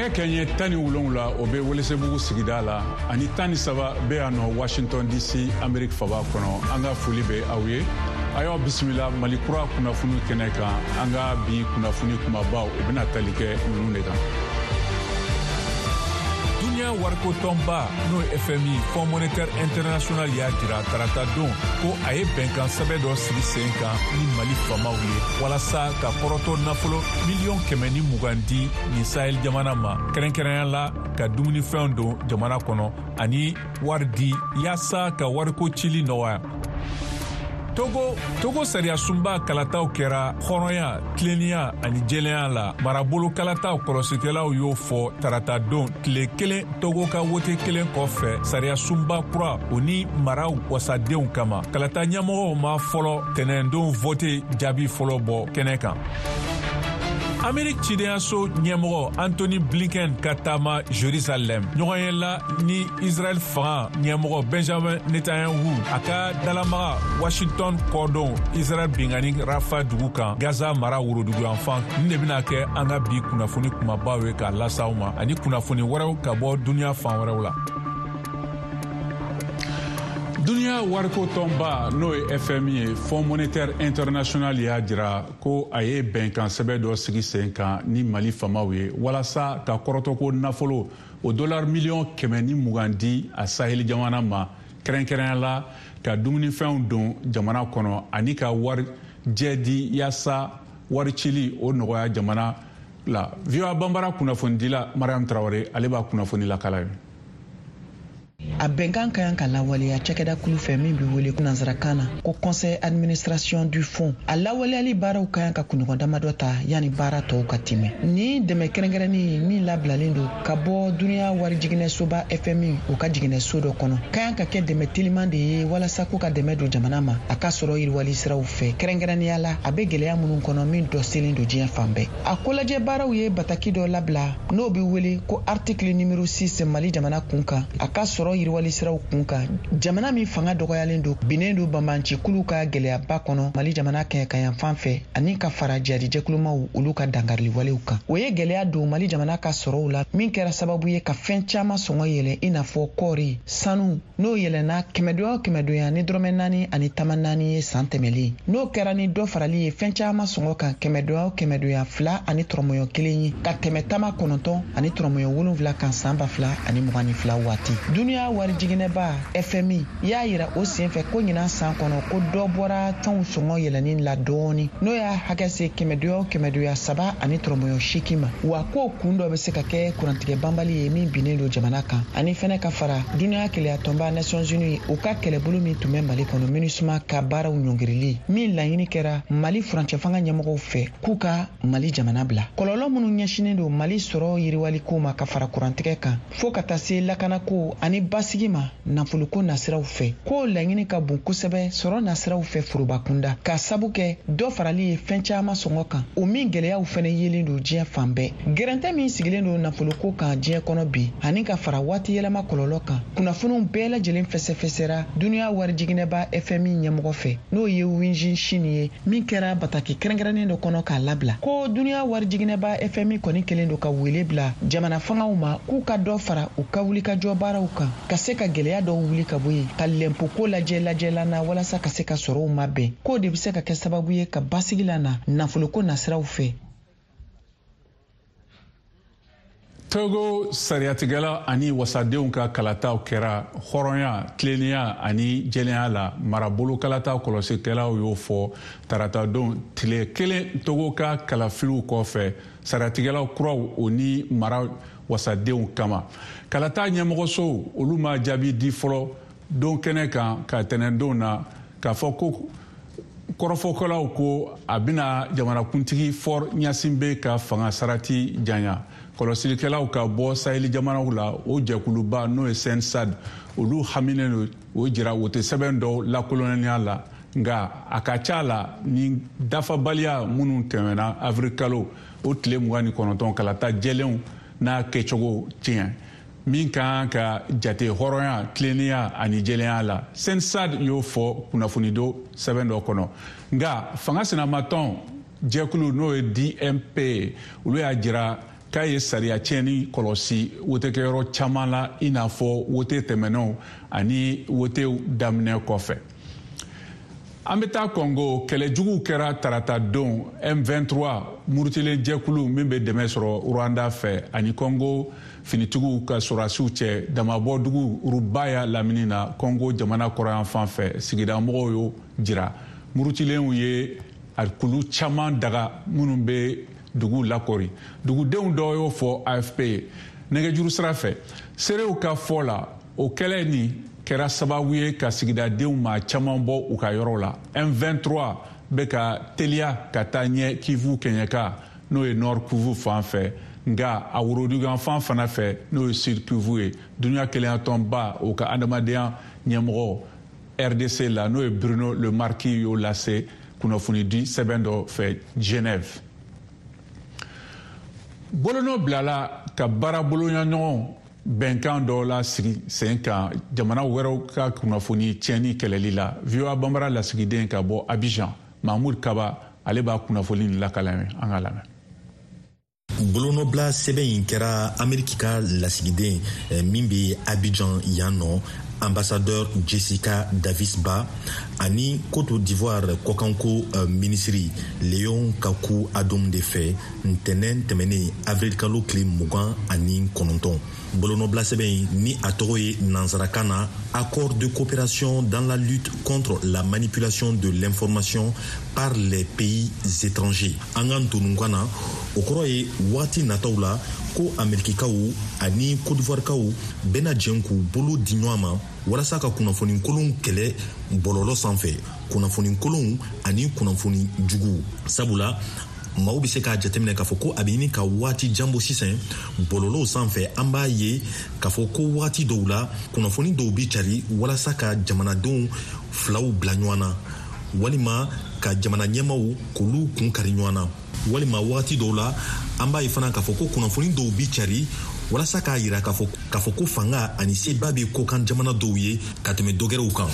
Nɛgɛ kɛɲɛ 17, o bɛ Welesebugu sigida la, ani 13 bɛ yan nɔ Washington DC, Amerique faba kɔnɔ. An ka foli bɛ aw ye, a y'aw bisimila Mali Kura kunnafoni kɛnɛ kan. An ka bi kunnafoni kumabaw, o bɛna tali kɛ ninnu de kan. Duniya wariko tɔnba, n'o ye FMI, Fonds monétaire international, y'a jira tarata don ko a ye bɛnkan sɛbɛn dɔ sigi sen kan ni Mali faamaw ye walasa ka kɔrɔtɔ nafolo miliyɔn 120 di nin Sahel jamana ma, kɛrɛnkɛrɛnya la ka dumunifɛnw don jamana kɔnɔ ani wari di yaasa ka wariko cili nɔgɔya. Togo sariyasunba kalataw kɛra hɔrɔnya, tilennenya ani jɛlenya la, marabolo kalataw kɔlɔsikɛlaw y'o fɔ tarata don, tile kelen Togo ka wote kelen kɔfɛ sariyasunba kura, o ni maraw wasadenw kama. Kalata ɲɛmɔgɔw ma fɔlɔ tɛnɛndon vote jaabi fɔlɔ bɔ kɛnɛ kan. Amerik cidenyaso ɲɛmɔgɔ Antony Blinken ka taama Jerusalem, ɲɔgɔnye la ni Israel fanga ɲɛmɔgɔ Benjamin Netanyahu, a ka dalamaga Washington kɔdon Israel binkanni Rafa dugu kan, Gaza mara woroduguyanfan. Nin de bɛna kɛ an ka bi kunnafoni kumabaw ye k'a las'aw ma, ani kunnafoni wɛrɛw ka bɔ duniya fan wɛrɛw la. Duniya wariko tɔnba, n'o ye FMI ye, Fonds monétaire international, y'a jira ko a ye bɛnkan sɛbɛn dɔ sigi sen kan ni Mali faamaw ye walasa ka kɔrɔtɔko nafolo, o dollar miliyɔn 120 di a Saheli jamana ma, kɛrɛnkɛrɛnya la ka dumunifɛnw don jamana kɔnɔ ani ka wari jɛ di yaasa wari cili o nɔgɔya jamana la. VOA Banbara kunnafonidila Mariam Tarawele, ale b'a kunnafoni lakala ye. A bɛnkan ka kan ka lawaleya cakɛda kulu fɛ min be wele nansarakan na ko Conseil administration du fonds. A lawaleyali baaraw ka kan ka kunɲɔgɔn damadɔ ta yanni baara tɔw ka tɛmɛ. Ni dɛmɛ kɛrɛnkɛrɛnnin min labilalen don ka bɔ duniɲa warijiginɛsoba FMI, o ka jiginɛso dɔ kɔnɔ, ka kan ka kɛ dɛmɛ teliman de ye walasa ko ka dɛmɛ don jamana ma a ka sɔrɔ yiriwali siraw fɛ, kɛrɛnkɛrɛnnenya la a be gwɛlɛya minnu kɔnɔ min dɔ selen don diɲɛ fan bɛɛ. A kolajɛ baaraw ye bataki dɔ labila n'o be wele ko article numéro 6 Mali jamana kun kan, a ka sɔrɔ yiriwali siraw kun kan, jamana min fanga dɔgɔyalen don, binnen don banbancikulu ka gwɛlɛyaba kɔnɔ Mali jamana kɛɲɛkayanfan fɛ, ani ka fara jihadijɛkulumaw olu ka dankariliwalew kan. O ye gwɛlɛya don Mali jamana ka sɔrɔw la, min kɛra sababu ye ka fɛn caaman sɔngɔ yɛlɛ, i n'a fɔ kɔɔri, sanu, n'o yɛlɛnna kɛmɛdonya o kɛmɛdonya ni dɔrɔmɛ 4 ani tama 4 ye san tɛmɛlen. N'o kɛra ni dɔ farali ye fɛn caaman sɔngɔ kan kɛmɛdonya o kɛmɛdonya 2 ani tɔrɔmɔɲɔ 1 ye, ka tɛmɛ tama 9 ani tɔrɔmɔɲɔ 7 kan san 2022 waati. Duniya warijiginɛba FMI y'a yira o senfɛ ko ɲinan san kɔnɔ, ko dɔ bɔra fɛnw sɔngɔ yɛlɛnni la dɔɔni, n'o y'a hakɛ se kɛmɛdonya o kɛmɛdonya 3 ani tɔrɔmɔɲɔ 8 ma. Wa k'o kun dɔ bɛ se ka kɛ kurantigɛ banbali ye min binnen don jamana kan, ani fɛnɛ ka fara duniya kelenya tɔnba Nations Unies u ka kɛlɛbolo min tun bɛ Mali kɔnɔ, MINUSMA, ka baaraw ɲɔngirili min laɲini kɛra Mali furancɛfanga ɲɛmɔgɔw fɛ k'u ka Mali jamana bila. Kɔlɔlɔ minnu ɲɛsinnen don Mali sɔrɔ yiriwaliko ma, ka fara kurantigɛ kan, fɔɔ ka taa se lakanako ani basigi ma nafoloko nasiraw fɛ, k'o laɲini ka bon kosɛbɛ sɔrɔ nasiraw fɛ foroba kunda, k'a sabu kɛ dɔ farali ye fɛn caaman sɔngɔ kan, o min gwɛlɛyaw fɛnɛ yelen don diɲɛ fan bɛɛ. Gɛrɛntɛ min sigilen don nafoloko kan diɲɛ kɔnɔ bi, ani ka fara waati yɛlɛma kɔlɔlɔ kan, kunnafoniw bɛɛ lajɛlen fɛsɛfɛsɛra duniya warijiginɛba FMI ɲɛmɔgɔ fɛ, n'o ye Wijin Shin ye, min kɛra bataki kɛrɛnkɛrɛnnen dɔ kɔnɔ k'a labila ko duniya warijiginɛba FMI kɔni kɛlen don ka wele bila jamana fangaw ma k'u ka dɔ fara u ka wulikajɔ baaraw kan ka se ka gwɛlɛya dɔw wuli ka bɔ yen, ka lɛnpoko lajɛ lajɛlan na walasa ka se ka sɔrɔw mabɛn, k'o de bɛ se ka kɛ sababu ye ka basigi lana nafoloko nasiraw fɛ. Togo sariyatigɛla ani wasadenw ka kalataw kɛra hɔrɔnya, tilennenya ani jɛlenya la, marabolo kalataw kɔlɔsikɛlaw y'o fɔ taratadon, tile kelen Togo ka kalafiliw kɔfɛ sariyatigɛlaw kuraw, o ni mara wasadenw kama. Kalata ɲɛmɔgɔsow, olu ma jaabi di fɔlɔ don kɛnɛ kan ka tɛnɛndon na k'a fɔ ko kɔrɔfɔkɛlaw ko a bɛna jamanakuntigi Faure Gnassingbé ka fanga sarati janya. Kɔlɔsilikɛlaw ka bɔ Saheli jamanaw la, o jɛkuluba n'o ye CNSAD, olu haminen don o jira wote sɛbɛn dɔw lakolonnenya la. Nka a ka ca la ni dafabaliya minnu tɛmɛna avril kalo o tile 29 kalata jɛlenw n'a kɛcogo tiɲɛ min ka kan ka jate hɔrɔnya, tilennenya ani jɛlenya la, CNSAD y'o fɔ kunnafonido sɛbɛn dɔ kɔnɔ. Nka fanga sinamatɔn jɛkulu, n'o ye DMP, olu y'a jira k'a ye sariya tiɲɛni kɔlɔsi wotekɛyɔrɔ caman la, i n'a fɔ wote tɛmɛnenw ani wotew daminɛ kɔfɛ. An bɛ taa Kɔngo, kɛlɛjuguw kɛra tarata don M23 murutilen jɛkulu min bɛ dɛmɛ sɔrɔ Rwanda fɛ ani Kɔngo finitigiw ka sɔrɔdasiw cɛ damabɔdugu Rubaya lamini na, Kɔngo jamana kɔrɔyanfan fɛ. Sigidamɔgɔw y'o jira, murutilenw ye a kulu caman daga minnu bɛ dugu lakɔri. Dugudenw dɔw y'o fɔ AFP ye nɛgɛjuru sira fɛ. Seerew ka fɔ la, o kɛlɛ nin kɛra sababu ye ka sigidadenw maa caman bɔ u ka yɔrɔ la. M23 bɛ ka teliya ka taa ɲɛ Kivu kɛɲɛka, n'o ye Nord Kivu fan fɛ, nka a woroduguyanfan fana fɛ, n'o ye Sud Kivu ye. Dunuya kelenyatɔnba o ka adamadenya ɲɛmɔgɔ RDC la, n'o ye Bruno Le Marquis, y'o lase kunnafonidi sɛbɛn dɔ fɛ Genève. Bolonɔ bilala ka baaraboloɲɔgɔn bɛnkan dɔ la sigi sen kan jamana wɛrɛw ka kunnafoni tiɲɛni kɛlɛli la. VOA Banbara lasigiden ka bɔ Abidjan, Mahmoud Kaba, ale b'a kunnafoni nin lakala ye. An ka lamɛn. Bolonɔbila sɛbɛn in kɛra Ameriki ka lasigiden min bɛ Abidjan yan nɔ, ambassadeur Jessica Davis Ba, ani Côte d'Ivoire kɔkanko minisiri Léon Kaku Adom de fɛ ntɛnɛn tɛmɛnen, avril kalo tile 29. Bolonɔbila sɛbɛn in ni a tɔgɔ ye nansarakan na "Accord de coopération dans la lutte contre la manipulation de l'information par les pays étrangers", an ka ntonunkan na, o kɔrɔ ye wagati nataw la ko Amerikikaw ani Côte d'Ivoirekaw bɛna jɛn k'u bolo di ɲɔgɔn ma walasa ka kunnafoni kolonw kɛlɛ bɔlɔlɔ sanfɛ, kunnafoni kolonw ani kunnafoni juguw. Sabula maaw bɛ se k'a jateminɛ k'a fɔ ko a bɛ ɲini ka waati jan bɔ sisan, bɔlɔlɔw sanfɛ, an b'a ye k'a fɔ ko waati dɔw la, kunnafoni dɔw bɛ cari walasa ka jamanadenw filaw bila ɲɔgɔn na, walima ka jamana ɲɛmaw k'olu kun kari ɲɔgɔn na, walima wagati dɔw la, an b'a ye fana k'a fɔ ko kunnafoni dɔw bi cari walasa k'a yira k'a fɔ ko fanga ani seba bɛ kɔkan jamana dɔw ye ka tɛmɛ dɔgɛrɛw kan.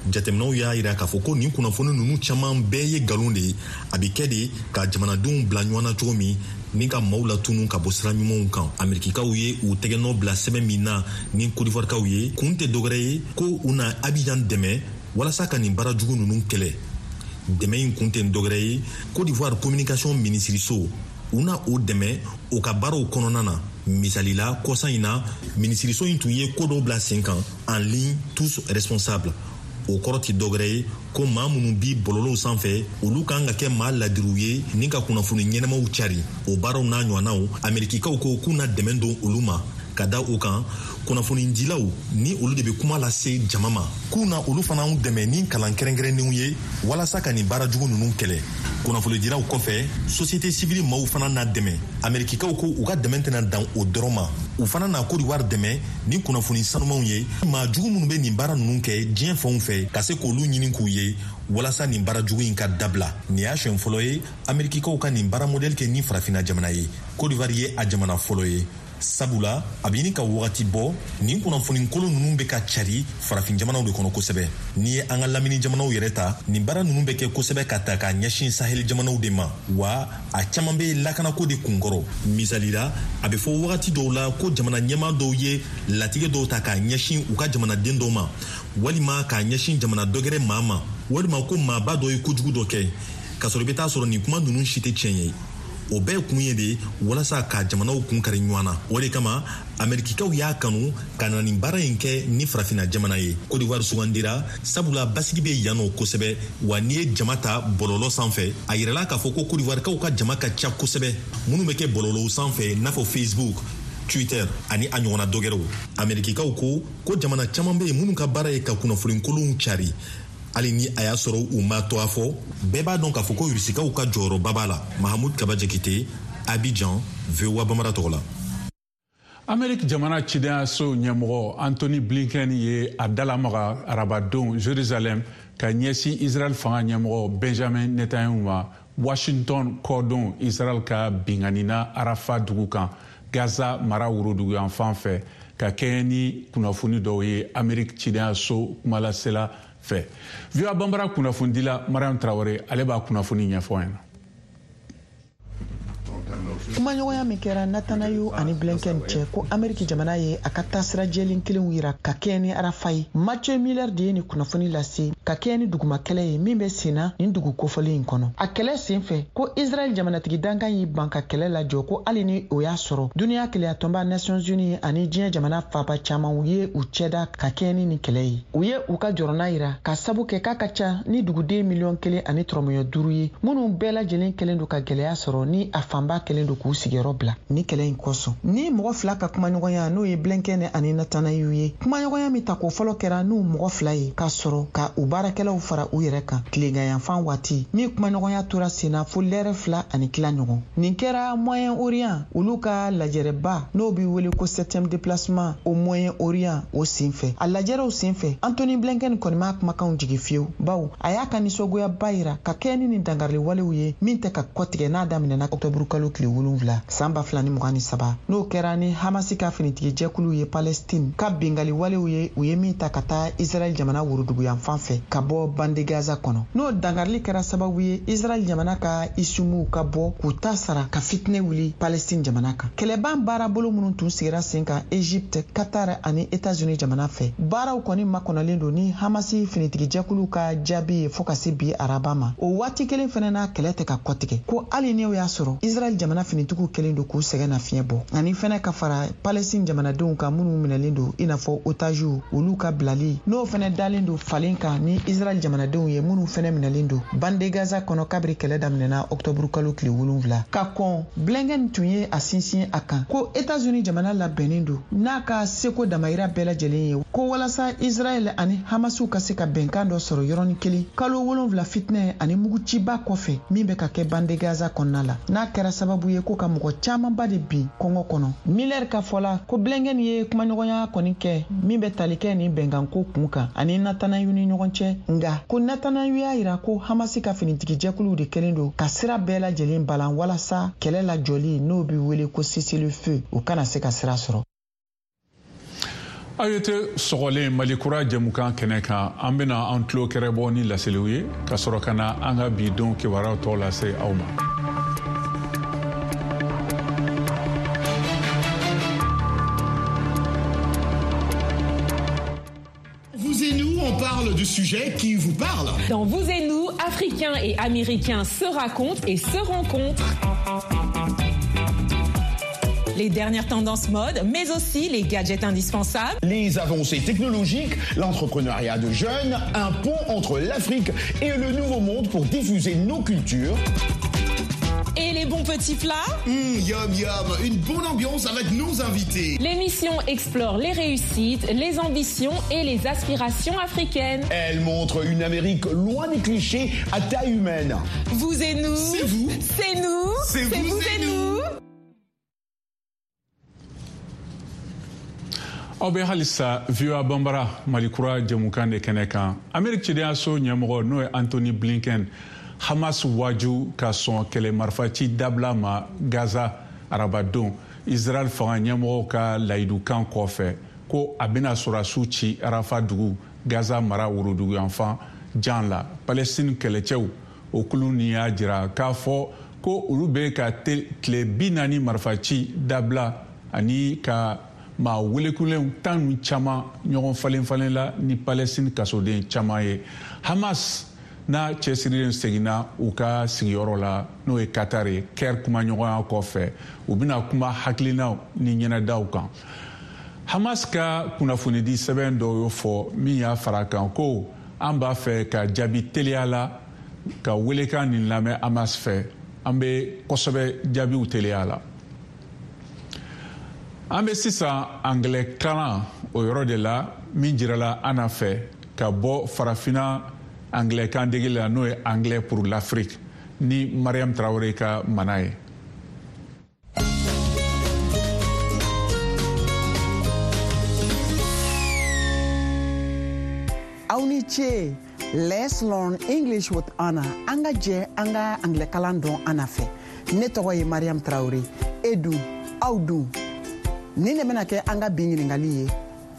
Jateminɛw y'a yira k'a fɔ ko nin kunnafoni ninnu caman bɛɛ ye nkalon de ye. A bɛ kɛ de ka jamanadenw bila ɲɔgɔn na cogo min ni ka maaw latunu ka bɔ sira ɲumanw kan. Amerikikaw ye u tɛgɛnɔ bila sɛbɛn min na ni Kodivuwarikaw ye, kun tɛ dɔwɛrɛ ye ko u na Abijan dɛmɛ walasa ka nin baara jugu ninnu kɛlɛ. Dɛmɛ in kun tɛ dɔwɛrɛ ye, Côte d'Ivoire communication minisiriso, u na o dɛmɛ o ka baaraw kɔnɔna na. Misali la, kɔsa in na, minisiriso in tun ye ko dɔw bila sen kan, "En ligne tous responsables". O kɔrɔ tɛ dɔwɛrɛ ye ko maa minnu bi bɔlɔlɔw sanfɛ, olu kan ka kɛ maa ladiriw ye ni ka kunnafoni ɲɛnɛmaw cari. O baaraw n'a ɲɔgɔnnaw, Amerikikaw ko k'u na dɛmɛ don olu ma. Ka da o kan, kunnafonidilaw ni olu de bɛ kuma lase jama ma, k'u na olu fana dɛmɛ ni kalan kɛrɛnkɛrɛnnenw ye walasa ka nin baara jugu ninnu kɛlɛ. Kunnafonidilaw kɔfɛ, société civile maaw fana na dɛmɛ. Amerikikaw ko u ka dɛmɛ tɛna dan o dɔrɔn ma, u fana na Côte d'Ivoire dɛmɛ ni kunnafoni sanumanw ye, maa jugu minnu bɛ nin baara ninnu kɛ diɲɛ fanw fɛ, ka se k'olu ɲini k'u ye walasa nin baara jugu in ka dabila. Nin y'a siɲɛ fɔlɔ ye Amerikikaw ka nin baara modèle kɛ ni Farafina jamana ye. Côte d'Ivoire ye a jamana fɔlɔ ye, sabula a bɛ ɲini ka wagati bɔ, nin kunnafoni kolon ninnu bɛ ka cari farafin jamanaw de kɔnɔ kosɛbɛ. N'i ye an ka lamini jamanaw yɛrɛ ta, nin baara ninnu bɛ kɛ kosɛbɛ ka ta k'a ɲɛsin Saheli jamanaw de ma, wa a caman bɛ lakanako de kunkɔrɔ. Misali la, a bɛ fɔ wagati dɔw la ko jamana ɲɛmaa dɔw ye latigɛ dɔw ta k'a ɲɛsin u ka jamanaden dɔw ma, walima k'a ɲɛsin jamana dɔgɛrɛ maa ma, walima ko maaba dɔ ye kojugu dɔ kɛ, k'a sɔrɔ i bɛ taa sɔrɔ nin kuma ninnu si tɛ tiɲɛ ye. O bɛɛ kun ye de walasa ka jamanaw kun kari ɲɔgɔn na. O de kama Amerikikaw y'a kanu ka na nin baara in kɛ ni Farafina jamana ye. Côte d'Ivoire sugandira sabula basigi bɛ yan nɔ kosɛbɛ, wa n'i ye jama ta bɔlɔlɔ sanfɛ, a yirala k'a fɔ ko Côte d'Ivoirekaw ka jama ka ca kosɛbɛ minnu bɛ kɛ bɔlɔlɔw sanfɛ, n'a fɔ Facebook, Twitter ani a ɲɔgɔnna dɔgɛrɛw. Amerikikaw ko ko jamana caman bɛ yen minnu ka baara ye ka kunnafoni kolonw cari, hali ni a y'a sɔrɔ u ma tɔgɔ fɔ. Bɛɛ b'a dɔn k'a fɔ ko Rusikaw ka jɔyɔrɔba b'a la. Mahamud Kaba Jakite, Abidjan, VOA Bamara tɔgɔ la. Ameriki jamana cidenyaso ɲɛmɔgɔ Antony Blinken ye a dalamaga arabadon Jerusalem ka ɲɛsin Israel fanga ɲɛmɔgɔ Benjamin Netanyahu ma, Washington kɔdon Israel ka binkanni na Arafa dugu kan, Gaza mara woroduguyanfan fɛ, ka kɛɲɛ ni kunnafoni dɔw ye Ameriki cidenyaso kumalasela fɛ. VOA Banbara kunnafonidila Mariam Tarawele, ale b'a kunnafoni ɲɛfɔ ɲɛna. Kumaɲɔgɔnya min kɛra Netanyahu ani Blinken cɛ, ko Ameriki jamana ye a ka taasira jɛlen kelenw yira ka kɛɲɛ ni Arafa ye. Mathieu Miller de ye nin kunnafoni lase ka kɛɲɛ ni duguma kɛlɛ ye min bɛ senna nin dugu kofɔlen in kɔnɔ. A kɛlɛ sen fɛ, ko Israɛl jamanatigi dankan y'i ban ka kɛlɛ lajɔ, ko hali ni o y'a sɔrɔ duniya kelenyatɔnba Nations Unies ani diɲɛ jamana faaba camanw ye u cɛda ka kɛɲɛ ni nin kɛlɛ ye. U ye u ka jɔrɔna yira ka sabu kɛ k'a ka ca ni duguden 1.5 miliyɔn ye, minnu bɛɛ lajɛlen kɛlen don ka gwɛlɛya sɔrɔ, ni a fanba kɛlen don k'u sigiyɔrɔ bila ni kɛlɛ in kosɔn. Ni mɔgɔ fila ka kumaɲɔgɔnya, n'o ye Blinken ani Netanyahu ye, kumaɲɔgɔnya min ta ko fɔlɔ kɛra n'u mɔgɔ fila ye k'a sɔrɔ ka u baarakɛlaw fara u yɛrɛ kan tileganyanfan waati min, kumaɲɔgɔnya tora senna fo lɛrɛ 2 ni tila ɲɔgɔn. Nin kɛra Moyen Orient olu ka lajɛrɛba, n'o bɛ wele ko septième déplacement au Moyen Orient, o sen fɛ. A lajɛrɛw sen fɛ, Antony Blinken kɔni m'a kumakanw jigi fiyewu, bawo a y'a ka nisɔngoyaba yira ka kɛɲɛ ni nin dankarili walew ye min tɛ ka kɔtigɛ, n'a daminɛna ɔktɔburu kalo tile 7 san 2023, n'o kɛra ni Hamasi ka finitigi jɛkulu ye Palestine ka bingali walew ye, u ye min ta ka taa Israɛl jamana woroduguyanfan fɛ ka bɔ Bande Gaza kɔnɔ, n'o dankarili kɛra sababu ye Israɛl jamana ka isimuw ka bɔ k'u ta sara ka fitinɛ wuli Palestine jamana kan. Kɛlɛban baarabolo minnu tun sigira sen kan Egypte, Qatar ani Etats-Unis jamana fɛ, baaraw kɔni makɔnɔlen don ni Hamasi finitigijɛkulu ka jaabi ye fɔɔ ka se bi araba ma. O waati kelen fɛnɛ n'a, kɛlɛ tɛ ka kɔtigɛ, ko hali ni o y'a sɔrɔ Israɛl jamana finitigiw kɛlen don k'u sɛgɛn na fiɲɛ bɔ, ani fɛnɛ ka fara Palestine jamanadenw kan minnu minɛlen don i n'a fɔ otaziw, olu ka bilali, n'o fɛnɛ dalen don falen kan ni Israɛl jamanadenw ye minnu fɛnɛ minɛlen don Bande Gaza kɔnɔ kabiri kɛlɛ daminɛna ɔktɔburu kalo tile 7. Ka kɔn, Blinken tun ye a sinsin a kan ko Etats-Unis jamana labɛnnen don n'a ka seko damayira bɛɛ lajɛlen ye, ko walasa Israɛl ani Hamasiw ka se ka bɛnkan dɔ sɔrɔ yɔrɔnin kelen kalo 7 fitinɛ ani muguciba kɔfɛ min bɛ ka kɛ Bande Gaza kɔnɔna la, n'a kɛra sababu ye ko ka mɔgɔ camanba de bin kɔngɔ kɔnɔ. Miller ka fɔla ko Blinken ye kumaɲɔgɔnya kɔni kɛ min bɛ tali kɛ nin bɛnkanko kun kan ani Netanyahu ni ɲɔgɔn cɛ, nga ko Netanyahu y'a yira ko Hamasi ka finitigijɛkuluw de kɛlen don ka sira bɛɛ lajɛlen balan walasa kɛlɛ lajɔli, n'o bɛ wele ko cessez-le-feu, u kana se ka sira sɔrɔ. Aw ye tɛ sɔgɔlen Mali Kura jɛmukan kɛnɛ kan. An bena an tulo kɛrɛbɔ ni laseliw ye ka sɔrɔ ka na an ka bi don kibaruyaw tɔw lase aw ma. Vous et nous, on parle de sujets qui vous parlent. Dans Vous et nous, Africains et Américains se racontent et se rencontrent. Les dernières tendances mode, mais aussi les gadgets indispensables. Les avancées technologiques, l'entrepreneuriat de jeunes, un pont entre l'Afrique et le Nouveau Monde pour diffuser nos cultures. Et les bons petits plats. Yum yum, une bonne ambiance avec nos invités. L'émission explore les réussites, les ambitions et les aspirations africaines. Elle montre une Amérique loin des clichés, à taille humaine. Vous et nous. C'est vous. C'est nous. C'est vous et nous. Aw bɛ halisa VOA Banbara Malikura jɛmukan de kɛnɛ kan. Ameriki cidenyaso ɲɛmɔgɔ, n'o ye Antony Blinken, Hamas waju ka sɔn kɛlɛ marifaci dabila ma Gaza arabadon, Israel fanga ɲɛmɔgɔw ka layidukan kɔfɛ ko a bɛna sɔrɔdasiw ci Arafa dugu, Gaza mara woroduguyanfan jan la. Palestine kɛlɛcɛw o kulu nin y'a jira k'a fɔ ko olu bɛ ka tile 40 marifaci dabila ani ka maa welekulenw tan ni caman ɲɔgɔn falen falen la ni Palestine kasoden caman ye. Hamas n'a cɛsirilen seginna u ka sigiyɔrɔ la, n'o ye Qatar ye, Kɛr kumaɲɔgɔnya kɔfɛ, u bɛna kuma hakilinaw ni ɲɛnɛdaw kan. Hamas ka kunnafonidi sɛbɛn dɔw y'o fɔ min y'a fara kan ko an b'a fɛ ka jaabi teliya la ka welekan nin lamɛn Hamas fɛ. An bɛ kosɛbɛ jaabiw teliya la. An bɛ sisan angilɛ kalan o yɔrɔ de la min jirala an fɛ ka bɔ Farafina angilɛkan dege la, n'o ye Anglais pour l'Afrique, ni Mariam Tarawele ka mana ye. Aw ni ce. Let's learn English with Anna. An ka jɛ an ka anglais kalan dɔn Anna fɛ. Ne tɔgɔ ye Mariam Traore. E dun, aw dun? Nin de bɛna kɛ an ka bi ɲininkali ye.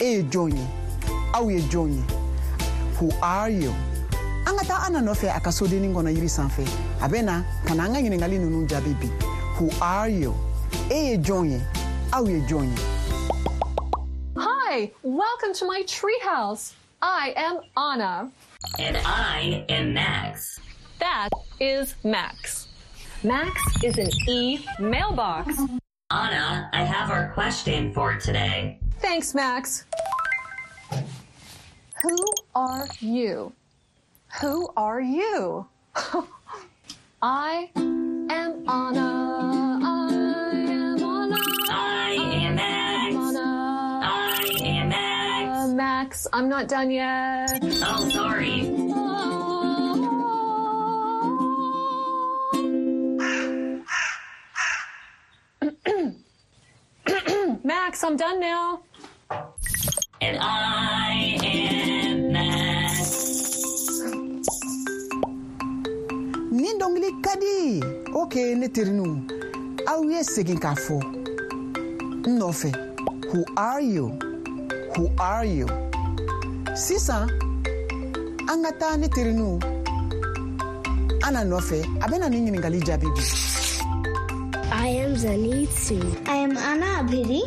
E ye jɔn ye? Aw ye jɔn ye? Who are you? An ka taa Anna nɔfɛ a ka sodennin kɔnɔ yiri sanfɛ. A bɛ na ka na an ka ɲininkali ninnu jaabi bi. Who are you? E ye jɔn ye? Aw ye jɔn ye? Hi, welcome to my treehouse. I am Anna. And I am Max. That is Max. Max is an E mailbox. Anna, I have our question for today. Thanks, Max. Who are you? Who are you? I am Anna. I am Anna. I am Max. Anna. I am Max. Max, I'm not done yet. Oh, sorry. Max, I'm done now. And I am Max. Nin dɔnkili ka di. Ok, ne teriniw, aw ye segin k'a fɔ n nɔfɛ. Who are you? Who are you? Sisan, an ka taa ne teriniw. Ana nɔfɛ, a bɛna nin ɲininkali jaabi bi. I am Zanitsu. I am Anna Abhiri.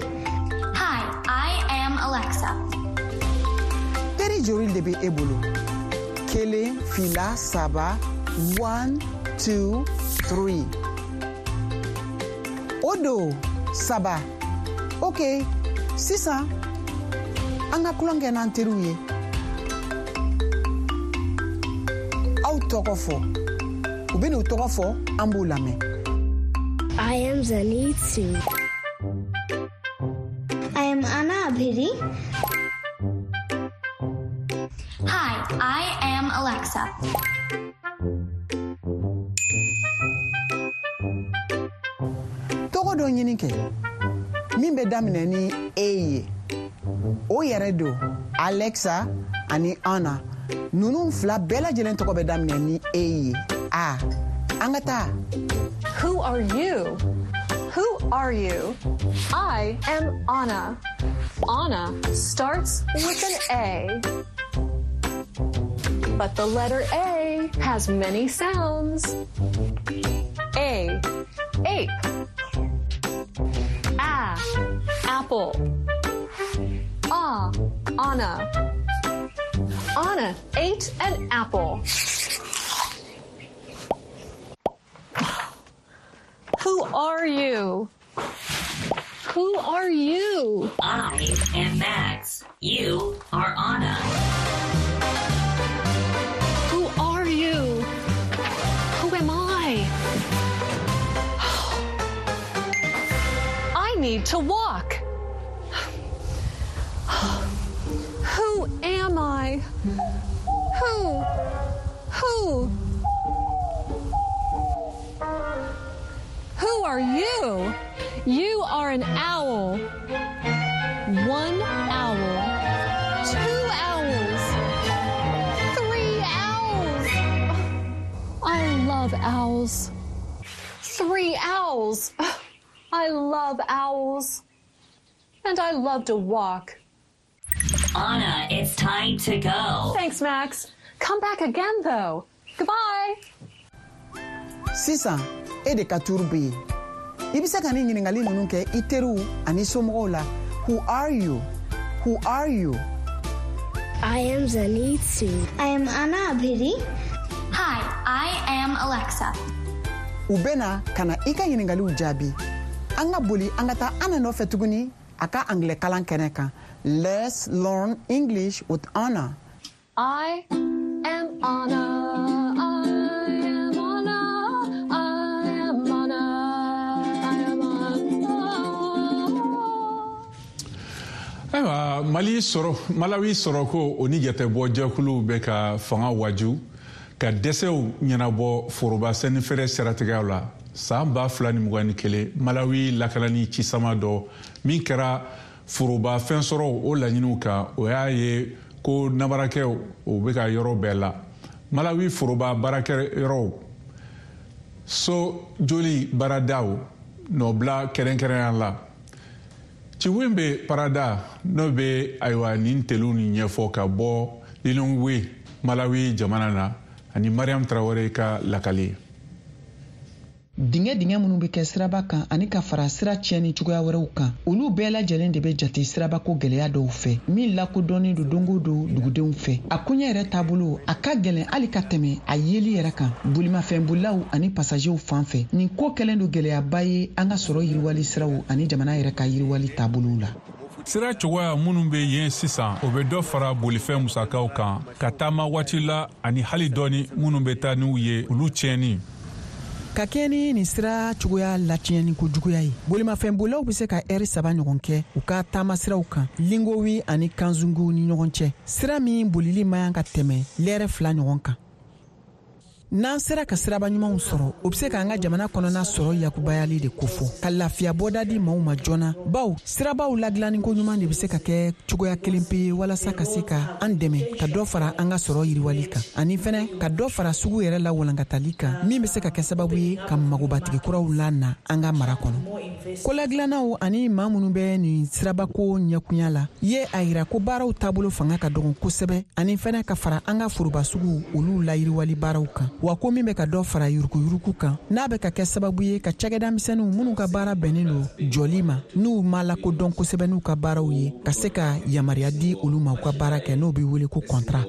Hi, I am Alexa. Teri joli de bɛ e bolo? 1, 2, 3, 1, 2, 3. O don, 3. Ok, sisan, an ka tulon kɛ n'an teriw ye. Aw tɔgɔ fɔ. U bɛ n'u tɔgɔ fɔ, an b'u lamɛn. I am Zanitsu. I am Anna Abhiri. Hi, I am Alexa. Tɔgɔ dɔ ɲini kɛ min bɛ daminɛ ni E ye. O yɛrɛ don Alexa ani Anna. Ninnu fila bɛɛ lajɛlen tɔgɔ bɛ daminɛ ni E ye. A, an ka taa. Who are you? Who are you? I am Anna. Anna starts with an A. But the letter A has many sounds. A, ape. A, apple. Ah, Anna. Anna ate an apple. Who are you? Who are you? I am Max. You are Anna. Who are you? Who am I? I need to walk. Who am I? Who? Who? Who are you? You are an owl. 1 owl. 2 owls. 3 owls. I love owls. 3 owls. I love owls. And I love to walk. Anna, it's time to go. Thanks, Max. Come back again, though. Goodbye. Sisan, e de ka turu bɛ yen. I bɛ se ka nin ɲininkali ninnu kɛ i teriw ani somɔgɔw la. Who are you? Who are you? I am Zanitsu. I am Anna Abhiri. Hi, I am Alexa. U bɛ na ka na i ka ɲininkaliw jaabi. An ka boli an ka taa Anna nɔfɛ tuguni a ka angilɛ kalan kɛnɛ kan. Let's learn English with Anna. I am Anna. I am Anna. I am Anna. I am Anna. Ayiwa, Mali sɔrɔ, Malawi sɔrɔko o ni jatebɔ jɛkuluw bɛ ka fanga waju ka dɛsɛw ɲɛnabɔ foroba sɛnifɛrɛ siratigɛw la. San 2021, Malawi lakanani cisama dɔ min kɛra foroba fɛn sɔrɔ o laɲiniw kan, o y'a ye ko nabarakɛw o bɛ ka yɔrɔ bɛɛ la. Malawi foroba baarakɛyɔrɔw, so joli baaradaw nɔbila kɛrɛnkɛrɛnya la. Ciwen bɛ parada n'o bɛ ayiwa nin teliw ni ɲɛfɔ ka bɔ Lilongwe, Malawi jamana na, ani Mariam Traoré ka lakali. Dingɛ dingɛ minnu bɛ kɛ siraba kan ani ka fara sira tiɲɛni cogoya wɛrɛw kan, olu bɛɛ lajɛlen de bɛ jate sirabako gɛlɛya dɔw fɛ min lakodɔnnen don don o don dugudenw fɛ. A koɲɛ yɛrɛ taabolo a ka gɛlɛn hali ka tɛmɛ a yeli yɛrɛ kan bolimafɛnbolilaw ani pasajew fan fɛ. Nin ko kɛlen don gɛlɛyaba ye an ka sɔrɔ yiriwali siraw ani jamana yɛrɛ ka yiriwali taabolow la. Sira cogoya minnu bɛ yen sisan, o bɛ dɔ fara bolifɛn musakaw kan ka taama waati la, ani hali dɔɔni minnu bɛ taa n'u ye, olu tiɲɛni. Ka kɛɲɛ ni nin sira cogoya latiɲɛni ko juguya ye, bolimafɛnbolilaw bɛ se ka ɛri 3 ɲɔgɔn kɛ u ka taamasiraw kan Lingowi ani Kanzungu ni ɲɔgɔn cɛ, sira min bolili man kan ka tɛmɛ lɛrɛ 2 ɲɔgɔn kan. N'an sera ka siraba ɲumanw sɔrɔ, o bɛ se k'an ka jamana kɔnɔna sɔrɔ yakubayali de kofɔ, ka lafiya bɔda di maaw ma joona, baw sirabaw ladilanni ko ɲuman de bɛ se ka kɛ cogoya kelen pe ye walasa ka se ka an dɛmɛ ka dɔ fara an ka sɔrɔ yiriwali kan, ani fɛnɛ ka dɔ fara sugu yɛrɛ lawalankatali kan, min bɛ se ka kɛ sababu ye ka magobatigi kuraw lana an ka mara kɔnɔ. Koladilannaw ani maa minnu bɛ nin sirabako ɲɛkunya la ye a yira ko baaraw taabolo fanga ka dɔgɔn kosɛbɛ, ani fɛnɛ ka fara an ka foroba sugu olu layiriwali baaraw kan, wa ko min bɛ ka dɔ fara yurukuyuruku kan, n'a bɛ ka kɛ sababu ye ka cakɛda misɛnninw minnu ka baara bɛnnen don jɔli ma, n'u ma lakodɔn kosɛbɛ n'u ka baaraw ye, ka se ka yamaruya di olu ma u ka baara kɛ, n'o bɛ wele ko kɔntara.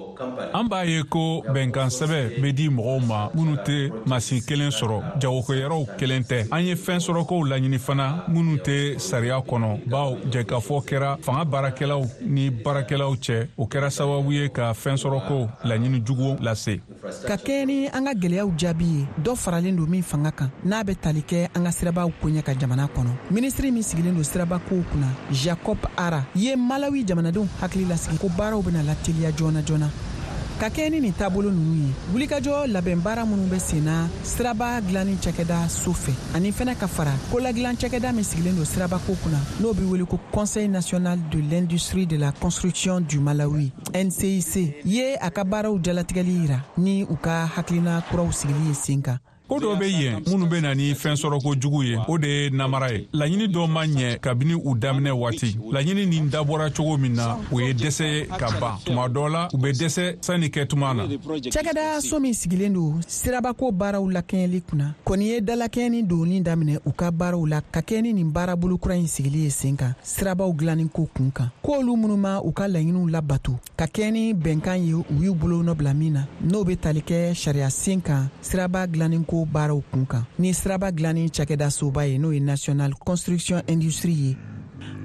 An b'a ye ko bɛnkan sɛbɛ bɛ di mɔgɔw ma minnu tɛ masin kelen sɔrɔ, jagokɛyɔrɔw kelen tɛ. An ye fɛn sɔrɔkow laɲini fana minnu tɛ sariya kɔnɔ, bawo jɛkafɔ kɛra fanga baarakɛlaw ni baarakɛlaw cɛ, o kɛra sababu ye ka fɛn sɔrɔkow laɲini jugu lase. Ka kɛɲɛ ni an ka gɛlɛyaw jaabi ye, dɔ faralen don min fanga kan n'a bɛ tali kɛ an ka sirabaw koɲɛ ka jamana kɔnɔ. Minisiri min sigilen don sirabakow kunna, Jacob Ara, ye Malawi jamanadenw hakili lasigi ko baaraw bɛna lateliya joona joona. Ka kɛɲɛ ni nin taabolo ninnu ye, wulikajɔ labɛn baara minnu bɛ sen na siraba dilanni cakɛda so fɛ, ani fɛnɛ ka fara koladilan cakɛda min sigilen don sirabako kunna, n'o bɛ wele ko Conseil national de l'industrie de la construction du Malawi, NCIC, ye a ka baaraw jalatigɛli yira ni u ka hakilina kuraw sigili ye sen kan. Ko dɔ bɛ yen minnu bɛ na ni fɛn sɔrɔko jugu ye, o de ye namara ye. Laɲini dɔ ma ɲɛ kabini u daminɛ waati. Laɲini nin dabɔra cogo min na, o ye dɛsɛ ye ka ban. Tuma dɔ la, u bɛ dɛsɛ sanni kɛ tuma na. Cakɛda so min sigilen don sirabako baaraw lakɛɲɛli kunna kɔni ye dalakɛɲɛni donni daminɛ u ka baaraw la ka kɛɲɛ ni nin baarabolo kura in sigili ye sen kan sirabaw dilanni ko kun kan, k'olu minnu ma u ka laɲiniw labato ka kɛɲɛ ni bɛnkan ye u y'u bolo nɔ bila min na, n'o bɛ tali kɛ sariya sen kan siraba dilanni ko baaraw kun kan ni siraba dilanni cakɛda soba ye, n'o ye National Construction Industrie ye.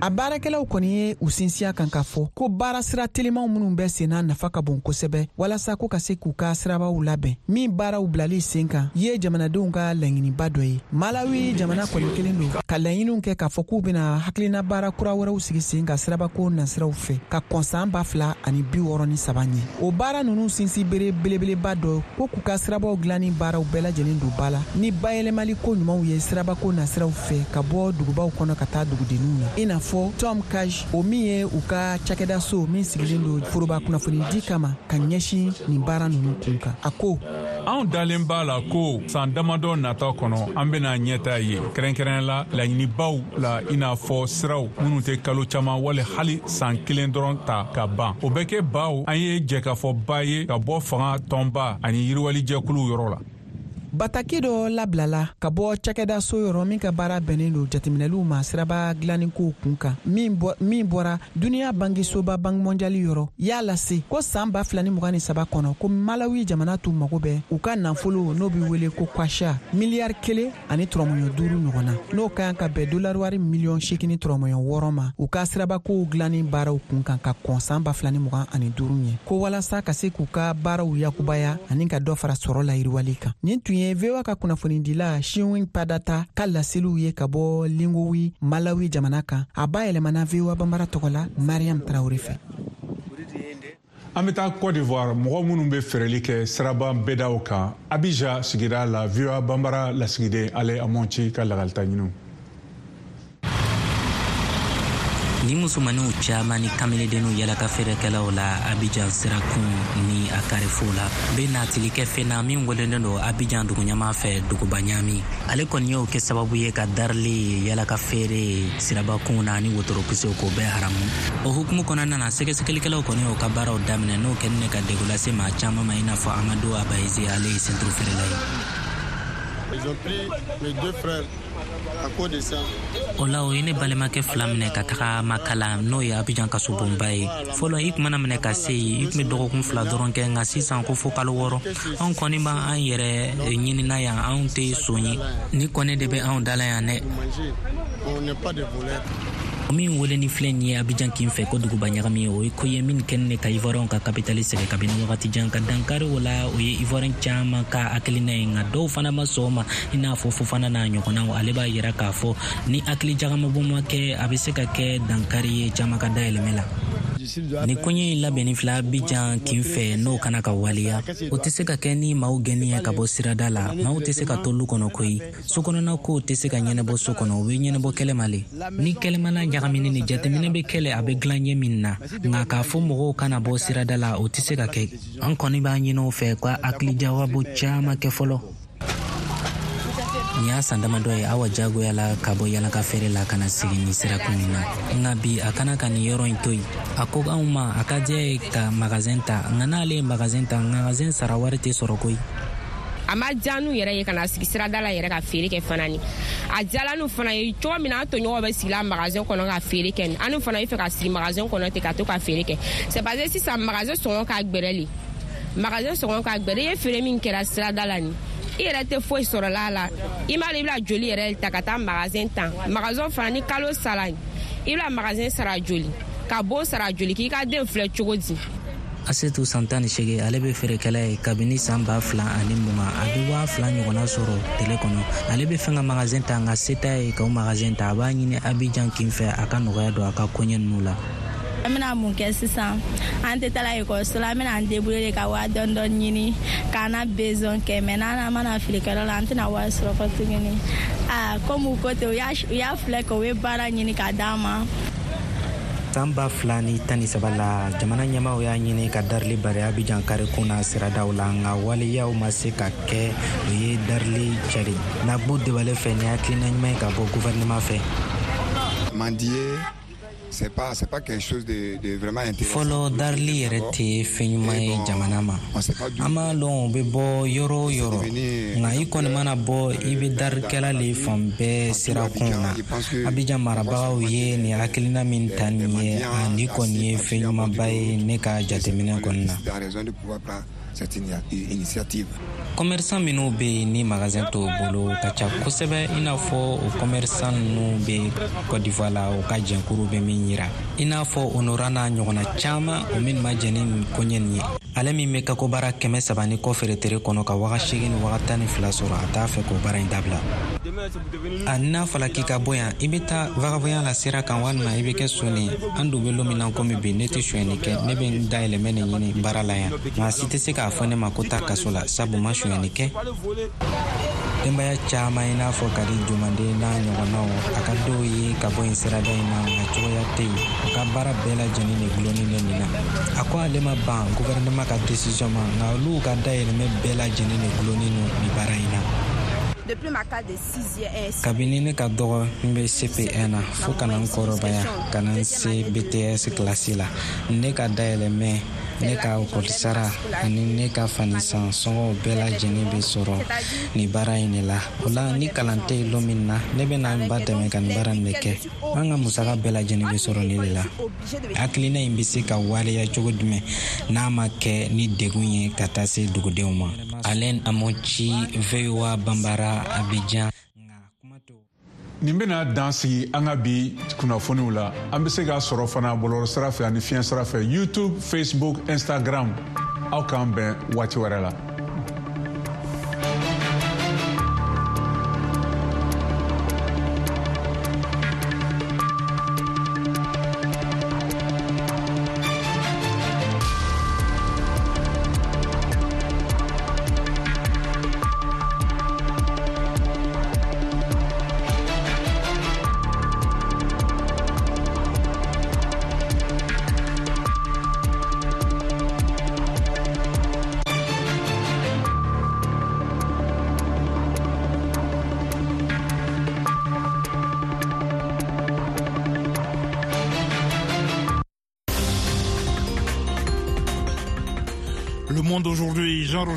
A baarakɛlaw kɔni ye u sinsiya kan k'a fɔ ko baara sira telimanw minnu bɛ senna nafa ka bon kosɛbɛ walasa ko ka se k'u ka sirabaw labɛn, min baaraw bilali sen kan ye jamanadenw ka laɲiniba dɔ ye. Malawi jamana kɔni kelen don ka laɲiniw kɛ k'a fɔ k'u bɛna hakilina baara kura wɛrɛw sigi sen kan sirabako nasiraw fɛ ka kɔn san 2063 ɲɛ. O baara ninnu sinsin bere belebeleba dɔ ko k'u ka sirabaw dilanni baaraw bɛɛ lajɛlen don ba la ni bayɛlɛmali ko ɲumanw ye sirabako nasiraw fɛ ka bɔ dugubaw kɔnɔ ka taa dugudenninw na, i n'a fɔ Tom Kaj, o min ye u ka cakɛda so min sigilen don foroba kunnafonidi kama ka ɲɛsin nin baara ninnu kun kan. A ko: Anw dalen b'a la ko san damadɔ nata kɔnɔ, an bɛna ɲɛta ye, kɛrɛnkɛrɛn la laɲinibaw la, i n'a fɔ siraw minnu tɛ kalo caman wali hali san kelen dɔrɔn ta ka ban. O bɛ kɛ baw an ye jɛkafɔba ye ka bɔ fanga tɔnba ani yiriwalijɛkuluw yɔrɔ la. Bataki dɔ labilala ka bɔ cakɛda so yɔrɔ min ka baara bɛnnen don jateminɛliw ma siraba dilanni kow kun kan, min bɔra duniɲa bankisoba Banque mondiale yɔrɔ, y'a lase ko san 2023 kɔnɔ, ko Malawi jamana tun mago bɛ u ka nafolo, n'o bɛ wele ko kwacha, miliyari 1.5 miliyɔn ɲɔgɔn na, n'o ka kan ka bɛn dolari wari miliyɔn 8.6 miliyɔn ma, u ka sirabakow dilanni baaraw kun kan ka kɔn san 2025 ɲɛ, ko walasa ka se k'u ka baaraw yakubaya ani ka dɔ fara sɔrɔ layiriwali kan. Nin tun ye VOA ka kunnafonidila Shinwin Padata ka laseliw ye ka bɔ Lingowi, Malawi jamana kan. A ba yɛlɛmana VOA Banbara tɔgɔ la Mariam Tarawele fɛ. An bɛ taa Côte d'Ivoire, mɔgɔ minnu bɛ feereli kɛ siraba bɛdaw kan Abidjan sigida la, VOA Banbara lasigiden Ale Amɔnci ka lakalita ɲiniw. Ni musomaninw caaman ni kameledenninw yalaka feerekɛlaw la Abijan sirakun ni a karifow la be natili kɛ fɛn na min welelen don Abijan duguɲama fɛ duguba ɲami. Ale kɔni y'o kɛ sababu ye ka darili yalaka feere sirabakunw na ani wotorokisew k'o bɛɛ haramu. O hukumu kɔnɔna na, sɛgɛsɛgɛlikɛlaw kɔni y'o ka baaraw daminɛ, n'o kɛni ne ka degu lase maa caaman ma, i n'a fɔ Amadu Abayize, ale ye senturu feerela ye. Ils ont pris mes deux frères à cause de ça. O la, o ye ne balimakɛ fila minɛ ka taga Makala, n'o ye Abijan kasobonba ye. Fɔlɔ, i kun mana minɛ ka se yen, i tun bɛ dɔgɔkun 2 dɔrɔn kɛ, nka sisan ko fo kalo 6. Anw kɔni b'an yɛrɛ ɲinina yan, anw tɛ son ye. Ni kɔni de bɛ anw dala yan dɛ. On n'est pas des voleurs. Min weleni filɛ nin ye Abijan kin fɛ ko duguba ɲagami, o ye ko ye min kɛni ne ka Ivoiriyɛnw ka kapitali sɛgɛ kabini wagati jan, ka dankari o la. O ye Ivoiriyɛn caman ka hakilina ye, nka dɔw fana ma sɔn o ma, i n'a fɔ Fofana n'a ɲɔgɔnnaw. Ale b'a yira k'a fɔ ni hakili jagamabɔ ma kɛ, a bɛ se ka kɛ dankari ye caman ka dayɛlɛmɛ la. Ni koɲɛ in labɛnni filɛ Abijan kin fɛ, n'o kana ka waleya, o tɛ se ka kɛ ni maaw gɛnni ye ka bɔ sirada la. Maaw tɛ se ka to lu kɔnɔ koyi. So kɔnɔna kow tɛ se ka ɲɛnabɔ so kɔnɔ, o bɛ ɲɛnabɔ kɛlɛma le. Ni kɛlɛmana ɲagamini ni jateminɛ bɛ kɛlɛ, a bɛ dilan ɲɛ min na, nka k'a fɔ mɔgɔw kana bɔ sirada la, o tɛ se ka kɛ. An kɔni b'a ɲini o fɛ ka hakili jagabɔ caman kɛ fɔlɔ. Nin y'a san damadɔ ye Awa jagoya la ka bɔ yalaka feere la ka na sigi nin sirakun in na, nka bi a kana ka nin yɔrɔ in to yen. A ko anw ma a ka diya ye ka magazɛn ta, nka n'ale ye magazɛn ta, magazɛn sara wari tɛ sɔrɔ koyi. A ma diya n'u yɛrɛ ye ka na sigi sirada la yɛrɛ ka feere kɛ fana. Ni a diyala n'u fana ye cogo min na, an tɔɲɔgɔnw bɛ sigi la magasin kɔnɔ ka feere kɛ, an n'u fana bɛ fɛ ka sigi magasin kɔnɔ ten ka to ka feere kɛ. C'est parce que sisan magasin sɔngɔ ka gbɛrɛ le, magasin sɔngɔ ka gbɛrɛ. I ye feere min kɛra sirada la nin, i yɛrɛ tɛ foyi sɔrɔ la la. I m'a dɔn i bɛna joli yɛrɛ ta ka taa magasin ta. Magasin fana, ni kalo sara, i bɛna magasin sara joli, ka bon sara joli, k'i ka den filɛ cogo di? Asetu, san 18, ale bɛ feerekɛla ye kabini san 2020. A bɛ 2000 ɲɔgɔnna sɔrɔ tele kɔnɔ. Ale bɛ fɛn ka magazɛn ta, nka se t'a ye ka o magazɛn ta. A b'a ɲini Abijan kin fɛ a ka nɔgɔya don a ka koɲɛ ninnu la. An bɛna mun kɛ sisan? An tɛ taa ekɔliso la, an bɛna an débrouiller de ka wari dɔɔni dɔɔni ɲini k'an na besoin kɛ, mais n'an mana feerekɛyɔrɔ la, an tɛna wari sɔrɔ kɔ tuguni. Aa, komi u ko ten, u y'a filɛ kɛ u ye baara ɲini k'a d'an ma. San 2013 la, jamana ɲɛmaaw y'a ɲini ka darili bari Abijan karikun na siradaw la, nka waleyaw ma se ka kɛ. O ye darili cari Nagbo Debale fɛ, ni hakilina ɲuman ye ka bɔ gouvernement fɛ. Mendier, c'est pas quelque chose de vraiment intéressant. Fɔlɔ, darili yɛrɛ tɛ fɛn ɲuman ye jamana ma. An b'a lɔn o bɛ bɔ yɔrɔ o yɔrɔ, nka i kɔni mana bɔ, i bɛ darikɛla le fan bɛɛ sirakun na. Abijan marabagaw ye nin hakilina min ta nin ye, a nin kɔni ye fɛn ɲumanba ye ne ka jateminɛ kɔni na. Cette initiative. Commerçant minnu bɛ yen ni magasin t'o bolo ka ca kosɛbɛ, i n'a fɔ o commerçant ninnu bɛ Côte d'Ivoire la, o ka jɛnkuru bɛ min yira, i n'a fɔ Honora n'a ɲɔgɔnna caman, o min ma jɛn ni nin koɲɛ nin ye. Ale min bɛ kako baara 300 ni kɔ feere tere kɔnɔ ka 8000 ni 12,000 sɔrɔ, a t'a fɛ k'o baara in dabila. A n'a fɔla k'i ka bɔ yan, i bɛ taa vagabond la sira kan, walima i bɛ kɛ soni ye. An dun bɛ lon min na komi bi, ne tɛ sonyɛni kɛ, ne bɛ n dayɛlɛmɛ de ɲini baara la yan. Maa si tɛ se k'a fɔ ne ma ko taa kaso la, sabu ma sonyɛni kɛ. Denbaya caman, i n'a fɔ Kadi Jomanden n'a ɲɔgɔnnaw, a ka dɔw ye ka bɔ yen sirada in na, nka cogoya tɛ yen. U ka baara bɛɛ lajɛlen de gulonnen bɛ nin na. A ko ale ma ban gouvernement ka décision ma, nka olu ka dayɛlɛmɛ bɛɛ lajɛlen de gulonnen don nin baara in na. Kabini ne ka dɔgɔ, n bɛ CP1 na, fo ka na n kɔrɔbaya ka na n se BTS kilasi la, ne ka dayɛlɛmɛ, ne ka ekɔli ani ne ka fanisan sɔngɔw bɛɛ lajɛlen bɛ sɔrɔ nin baara in de la. O la, ni kalan tɛ yen lon min na, ne bɛ na n ba dɛmɛ ka nin baara in de kɛ. An ka musaka bɛɛ lajɛlen bɛ sɔrɔ nin de la. Hakilina in bɛ se ka waleya cogo jumɛn n'a ma kɛ ni degun ye ka taa se dugudenw ma? Alain Amochi, VOA Bambara, Abidjan. Nin bɛna dan sigi an ka bi kunnafoniw la. An bɛ se k'a sɔrɔ fana bɔlɔlɔ sira fɛ ani fiɲɛ sira fɛ, YouTube, Facebook, Instagram. Aw k'an bɛn waati wɛrɛ la. Le Monde aujourd'hui, Jean Roger.